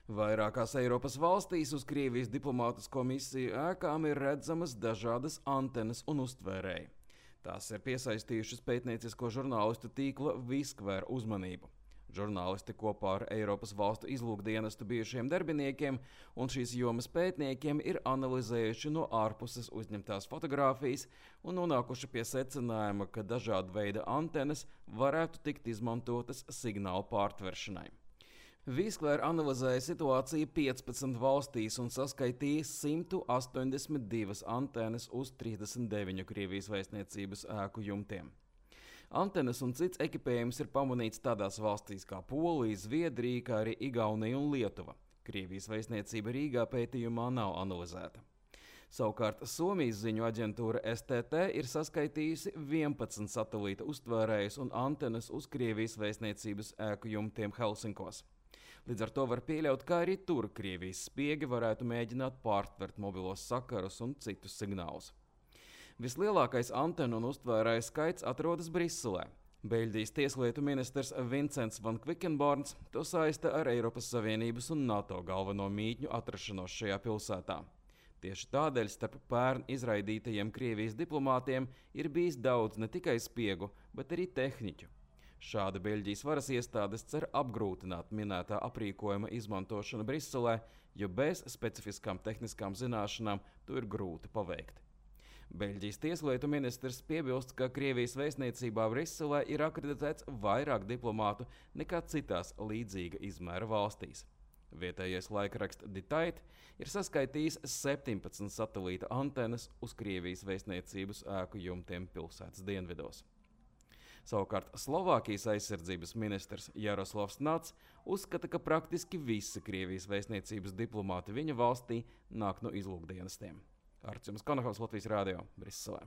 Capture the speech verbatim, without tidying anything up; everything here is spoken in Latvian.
Vairākās Eiropas valstīs uz Krievijas diplomātisko misiju ēkām ir redzamas dažādas antenas un uztvērēji. Tās ir piesaistījušas pētniecisko žurnālistu tīkla Viskver uzmanību. Žurnālisti kopā ar Eiropas valstu izlūkdienestu bijušiem darbiniekiem un šīs jomas pētniekiem ir analizējuši no ārpuses uzņemtās fotogrāfijas un nonākuši pie secinājuma, ka dažāda veida antenas varētu tikt izmantotas signālu pārtveršanai. Viskver analizēja situāciju piecpadsmit valstīs un saskaitīja simt astoņdesmit divas antenas uz trīsdesmit deviņu Krievijas vēstniecības ēku jumtiem. Antenas un cits ekipējums ir pamanīts tādās valstīs kā Polija, Zviedrija, kā arī Igaunija un Lietuva. Krievijas vēstniecība Rīgā pētījumā nav analizēta. Savukārt Somijas ziņu aģentūra S T T ir saskaitījusi vienpadsmit satelīta uztvērējus un antenas uz Krievijas vēstniecības ēku jumtiem Helsinkos. Līdz ar to var pieļaut, ka arī tur Krievijas spiegi varētu mēģināt pārtvert mobilos sakarus un citus signālus. Vislielākais antenu un uztvērēju skaits atrodas Briselē. Beļģijas tieslietu ministrs Vincents van Quickenborns to saista ar Eiropas Savienības un NATO galveno mītņu atrašanos šajā pilsētā. Tieši tādēļ starp pērn izraidītajiem Krievijas diplomātiem ir bijis daudz ne tikai spiegu, bet arī tehniķu. Šāda Beļģijas varas iestādes cer apgrūtināt minētā aprīkojuma izmantošanu Briselē, jo bez specifiskām tehniskām zināšanām to ir grūti paveikt. Beļģijas tieslietu ministrs piebilst, ka Krievijas vēstniecībā Briselē ir akreditēts vairāk diplomātu nekā citās līdzīga izmēra valstīs. Vietējais laikraksts Die Tijd ir saskaitījis septiņpadsmit satelīta antenas uz Krievijas vēstniecības ēku jumtiem pilsētas dienvidos. Savukārt Slovākijas aizsardzības ministrs Jaroslavs Nats uzskata, ka praktiski visi Krievijas vēstniecības diplomāti viņa valstī nāk no izlūkdienestiem. Artjums Konakovs, Latvijas Rādio, Briselē.